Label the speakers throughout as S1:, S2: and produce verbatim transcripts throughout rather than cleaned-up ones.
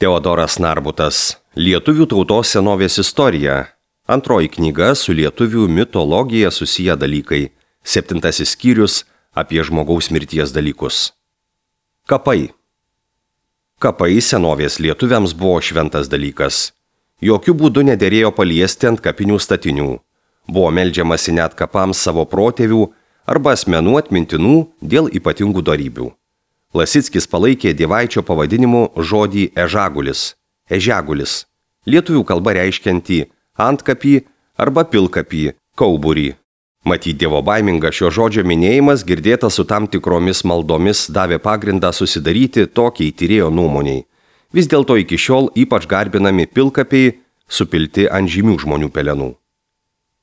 S1: Teodoras Narbutas. Lietuvių tautos senovės istorija. Antroji knyga su lietuvių mitologija susiję dalykai. Septintasis skyrius apie žmogaus mirties dalykus. Kapai. Kapai senovės lietuviams buvo šventas dalykas. Jokių būdų nederėjo paliesti ant kapinių statinių. Buvo meldžiamasi net kapams savo protėvių arba asmenų atmintinų dėl ypatingų dorybių. Lasickis palaikė dievaičio pavadinimu žodį ežagulis, ežegulis, lietuvių kalba reiškiantį antkapį arba pilkapį, kauburį. Matyt, dievo baiminga šio žodžio minėjimas girdėtas su tam tikromis maldomis davė pagrindą susidaryti tokiai tyrėjo nuomoniai. Vis dėlto iki šiol ypač garbinami pilkapiai supilti ant žymių žmonių pelenų.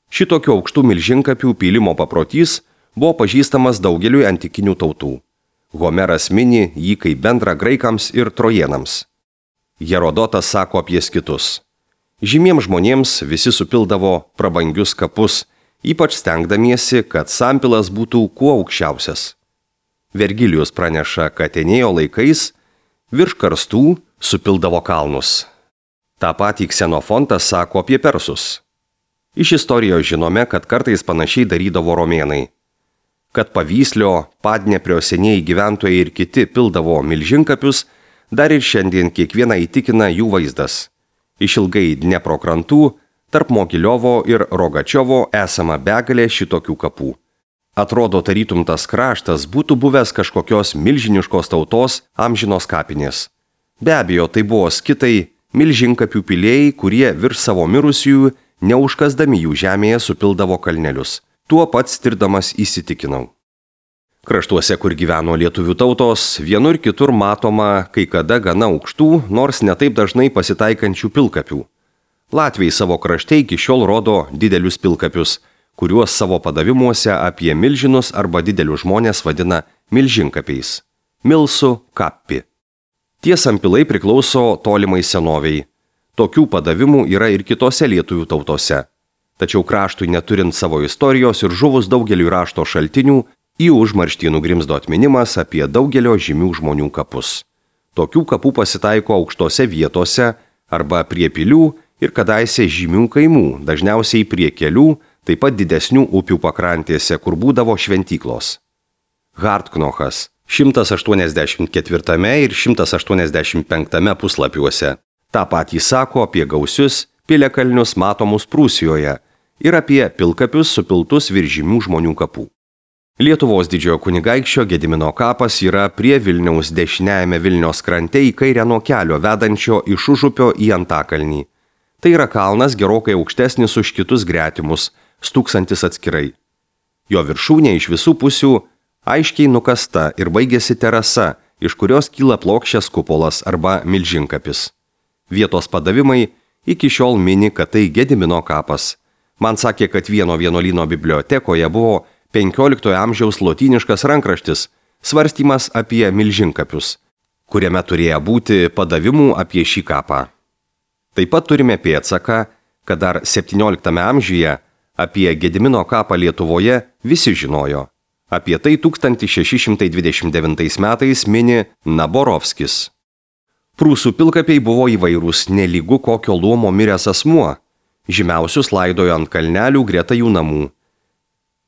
S1: Šitokių aukštų milžinkapių pylimo paprotys buvo pažįstamas daugeliui antikinių tautų. Homeras mini jį kaip bendrą graikams ir trojėnams. Herodotas sako apie skitus. Žymiems žmonėms visi supildavo prabangius kapus, ypač stengdamiesi, kad sampilas būtų kuo aukščiausias. Vergilijus praneša, kad Enėjo laikais virš karstų supildavo kalnus. Ta patį Ksenofontas sako apie persus. Iš istorijos žinome, kad kartais panašiai darydavo romėnai. Kad Pavyslio, Padneprio senieji gyventojai ir kiti pildavo milžinkapius, dar ir šiandien kiekvieną įtikina jų vaizdas. Išilgai Dnepro krantų, tarp Mogiliovo ir Rogačiovo esama begalė šitokių kapų. Atrodo, tarytum tas kraštas būtų buvęs kažkokios milžiniškos tautos amžinos kapinės. Be abejo, tai buvo skitai, milžinkapių pilėjai, kurie virš savo mirusiųjų, neužkasdami jų žemėje, supildavo kalnelius. Tuo pats tirdamas įsitikinau. Kraštuose, kur gyveno lietuvių tautos, vienur kitur matoma kai kada gana aukštų, nors netaip dažnai pasitaikančių pilkapių. Latviai savo krašte iki šiol rodo didelius pilkapius, kuriuos savo padavimuose apie milžinus arba didelius žmonės vadina milžinkapiais. Milsu kappi. Tie sampilai priklauso tolimai senoviai. Tokių padavimų yra ir kitose lietuvių tautose. Tačiau kraštui neturint savo istorijos ir žuvus daugeliu rašto šaltinių, į užmarštį nugrimzdo atminimas apie daugelio žymių žmonių kapus. Tokių kapų pasitaiko aukštose vietose arba prie pilių ir kadaise žymių kaimų, dažniausiai prie kelių, taip pat didesnių upių pakrantėse, kur būdavo šventyklos. Hartknochas šimtas aštuoniasdešimt ketvirtame ir šimtas aštuoniasdešimt penktame puslapiuose. Ta patį sako apie gausius piliakalnius matomus Prūsijoje ir apie pilkapius supiltus virš žymių žmonių kapų. Lietuvos didžiojo kunigaikščio Gedimino kapas yra prie Vilniaus dešiniajame Vilnios krante į kairę nuo kelio vedančio iš Užupio į Antakalnį. Tai yra kalnas gerokai aukštesnis už kitus gretimus, stūksantis atskirai. Jo viršūnė iš visų pusių aiškiai nukasta ir baigėsi terasa, iš kurios kyla plokščias kupolas arba milžinkapis. Vietos padavimai iki šiol mini, kad tai Gedimino kapas. Man sakė, kad vieno vienuolyno bibliotekoje buvo penkioliktojo amžiaus lotyniškas rankraštis, svarstymas apie milžinkapius, kuriame turėjo būti padavimų apie šį kapą. Taip pat turime pėdsaką, kad dar septynioliktame amžiuje apie Gedimino kapą Lietuvoje visi žinojo. Apie tai tūkstantis šeši šimtai dvidešimt devintais metais mini Naborovskis. Prūsų pilkapiai buvo įvairūs, nelygu kokio luomo miręs asmuo. Žymiausius laidojo ant kalnelių greta jų namų.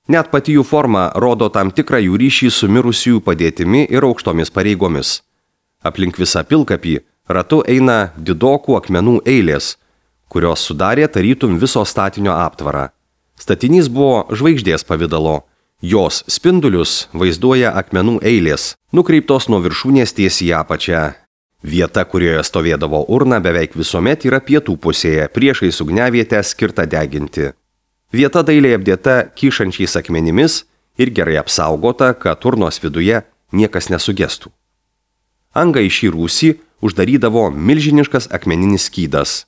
S1: Net pati jų forma rodo tam tikrą jų ryšį su mirusiųjų padėtimi ir aukštomis pareigomis. Aplink visą pilkapį ratu eina didokų akmenų eilės, kurios sudarė tarytum viso statinio aptvarą. Statinys buvo žvaigždės pavidalo. Jos spindulius vaizduoja akmenų eilės, nukreiptos nuo viršūnės tiesiai į apačią. Vieta, kurioje stovėdavo urna, beveik visuomet yra pietų pusėje, priešais ugniavietę skirtą deginti. Vieta dailiai apdėta kyšančiais akmenimis ir gerai apsaugota, kad urnos viduje niekas nesugestų. Angą į šį rūsį uždarydavo milžiniškas akmeninis skydas.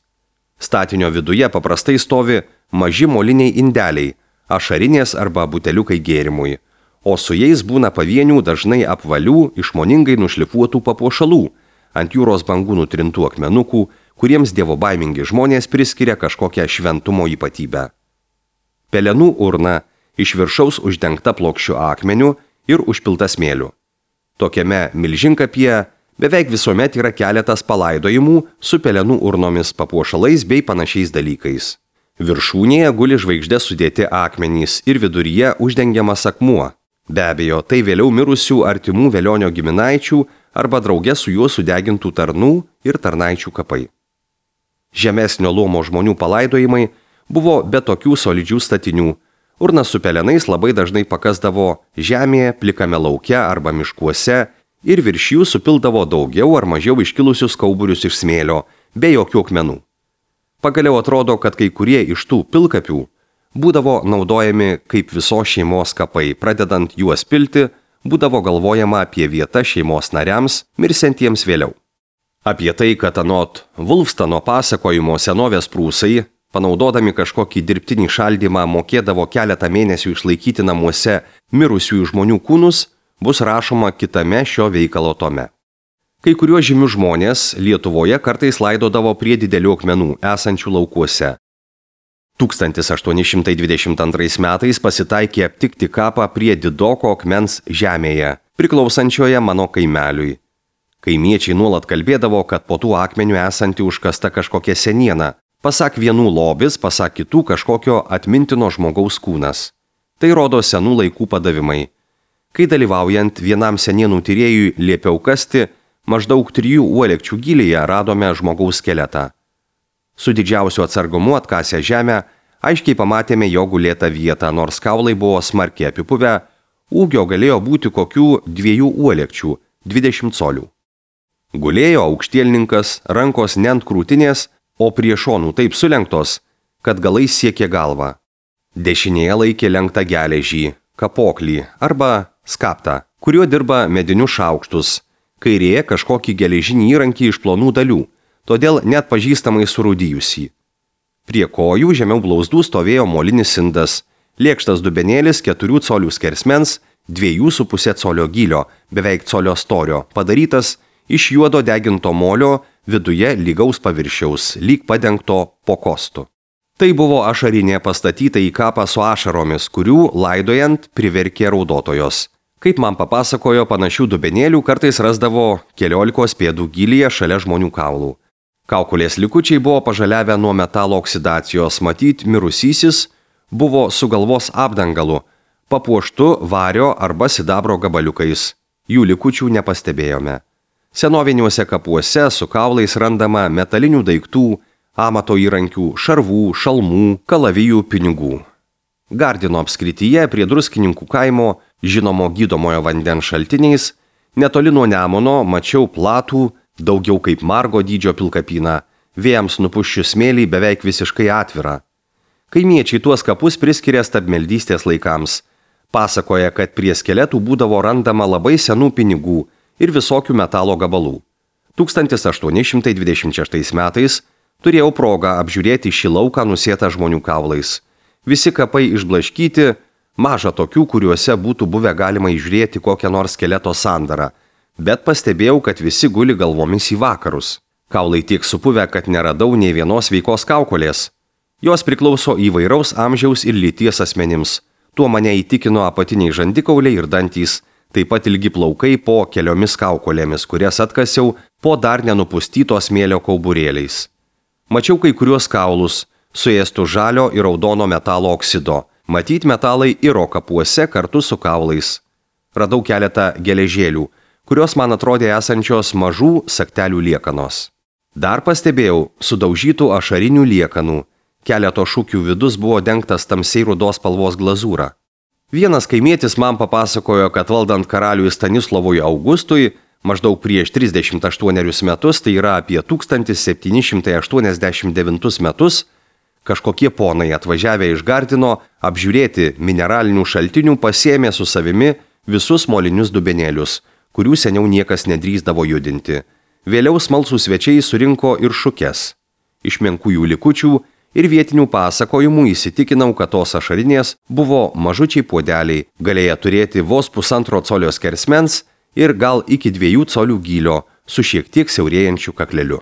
S1: Statinio viduje paprastai stovi maži moliniai indeliai, ašarinės arba buteliukai gėrimui, o su jais būna pavienių dažnai apvalių, išmoningai nušlifuotų papuošalų, ant jūros bangų nutrintų akmenukų, kuriems dievo baimingi žmonės priskiria kažkokią šventumo ypatybę. Pelenų urna iš viršaus uždengta plokščiu akmeniu ir užpilta smėliu. Tokiame milžinkapyje Beveik visuomet yra keletas palaidojimų su pelenų urnomis, papuošalais bei panašiais dalykais. Viršūnėje guli žvaigždė sudėti akmenys ir viduryje uždengiamas akmuo. Be abejo, tai vėliau mirusių artimų velionio giminaičių arba drauge su juo sudegintų tarnų ir tarnaičių kapai. Žemesnio luomo žmonių palaidojimai buvo be tokių solidžių statinių. Urnas su pelenais labai dažnai pakasdavo žemėje, plikame lauke arba miškuose ir virš jų supildavo daugiau ar mažiau iškilusius kauburius iš smėlio, be jokių akmenų. Pagaliau atrodo, kad kai kurie iš tų pilkapių būdavo naudojami kaip visos šeimos kapai, pradedant juos pilti, būdavo galvojama apie vietą šeimos nariams, mirsentiems vėliau. Apie tai, kad anot Vulfstano pasakojimo senovės prūsai, panaudodami kažkokį dirbtinį šaldymą, mokėdavo keletą mėnesių išlaikyti namuose mirusiųjų žmonių kūnus, bus rašoma kitame šio veikalo tome. Kai kuriuos žymius žmonės Lietuvoje kartais laidodavo prie didelių akmenų esančių laukuose. tūkstantis aštuoni šimtai dvidešimt antrais metais pasitaikė aptikti kapą prie Didoko akmens žemėje, priklausančioje mano kaimeliui. Kaimiečiai nuolat kalbėdavo, kad po tų akmenių esanti užkasta kažkokia seniena, pasak vienų lobis, pasak kitų kažkokio atmintino žmogaus kūnas. Tai rodo senų laikų padavimai. Kai dalyvaujant vienam senienų tyrėjui liepiau kasti, maždaug trijų uolekčių gylyje radome žmogaus skeletą. Su didžiausiu atsargumu atkasę žemę, aiškiai pamatėme jo gulėtą vietą, nors kaulai buvo smarkiai apipuvę, ūgio galėjo būti kokių dviejų uolekčių, dvidešimt colių. Gulėjo aukštielninkas, rankos ne ant krūtinės, o prie šonų taip sulenktos, kad galais siekė galvą. Dešinėje laikė lenktą geležį, kapoklį arba skaptą, kuriuo dirba medinius šaukštus, kairėje kažkokį geležinį įrankį iš plonų dalių, todėl net pažįstamai surūdijusi. Prie kojų žemiau blauzdų stovėjo molinis indas, lėkštas dubenėlis keturių colių skersmens, dviejų su pusė colio gylio, beveik colio storio, padarytas iš juodo deginto molio, viduje lygaus paviršiaus, lyg padengto po kostu. Tai buvo ašarinė pastatyta į kapą su ašaromis, kurių laidojant priverkė raudotojos. Kaip man papasakojo, panašių dubenėlių kartais rasdavo keliolikos pėdų gylyje šalia žmonių kaulų. Kaukolės likučiai buvo pažaliavę nuo metalo oksidacijos, matyt, mirusysis buvo su galvos apdangalu, papuoštu vario arba sidabro gabaliukais. Jų likučių nepastebėjome. Senoviniuose kapuose su kaulais randama metalinių daiktų, amato įrankių, šarvų, šalmų, kalavijų, pinigų. Gardino apskrityje prie Druskininkų kaimo, žinomo gydomojo vandens šaltiniais, netoli nuo Nemuno mačiau platų, daugiau kaip margo dydžio pilkapyną, vėjams nupuščius smėlį beveik visiškai atvirą. Kaimiečiai tuos kapus priskiria stabmeldystės laikams. Pasakoja, kad prie skeletų būdavo randama labai senų pinigų ir visokių metalo gabalų. tūkstantis aštuoni šimtai dvidešimt šeštais metais turėjau progą apžiūrėti šį lauką nusėtą žmonių kaulais. Visi kapai išblaškyti, maža tokių, kuriuose būtų buvę galima įžiūrėti kokią nors skeleto sandarą, bet pastebėjau, kad visi guli galvomis į vakarus. Kaulai tiek supuvę, kad neradau nei vienos sveikos kaukolės. Jos priklauso įvairaus amžiaus ir lyties asmenims. Tuo mane įtikino apatiniai žandikauliai ir dantys, taip pat ilgi plaukai po keliomis kaukolėmis, kurias atkasiau po dar nenupustyto smėlio kauburėliais. Mačiau kai kuriuos kaulus, suėstų žalio ir raudono metalo oksido. Matyt, metalai iro kapuose kartu su kaulais. Radau keletą geležėlių, kurios man atrodė esančios mažų saktelių liekanos. Dar pastebėjau sudaužytų ašarinių liekanų. Keleto šukių vidus buvo dengtas tamsiai rudos spalvos glazūra. Vienas kaimietis man papasakojo, kad valdant karaliui Stanislovui Augustui, maždaug prieš trisdešimt aštuonerius metus, tai yra apie tūkstantis septyni šimtai aštuoniasdešimt devintus metus, kažkokie ponai atvažiavę iš Gardino apžiūrėti mineralinių šaltinių pasiėmė su savimi visus molinius dubenėlius, kurių seniau niekas nedrįsdavo judinti. Vėliau smalsūs svečiai surinko ir šukes. Iš menkųjų likučių ir vietinių pasakojimų įsitikinau, kad tos ašarinės buvo mažučiai puodeliai, galėję turėti vos pusantro colio skersmens ir gal iki dviejų colių gylio su šiek tiek siaurėjančiu kakleliu.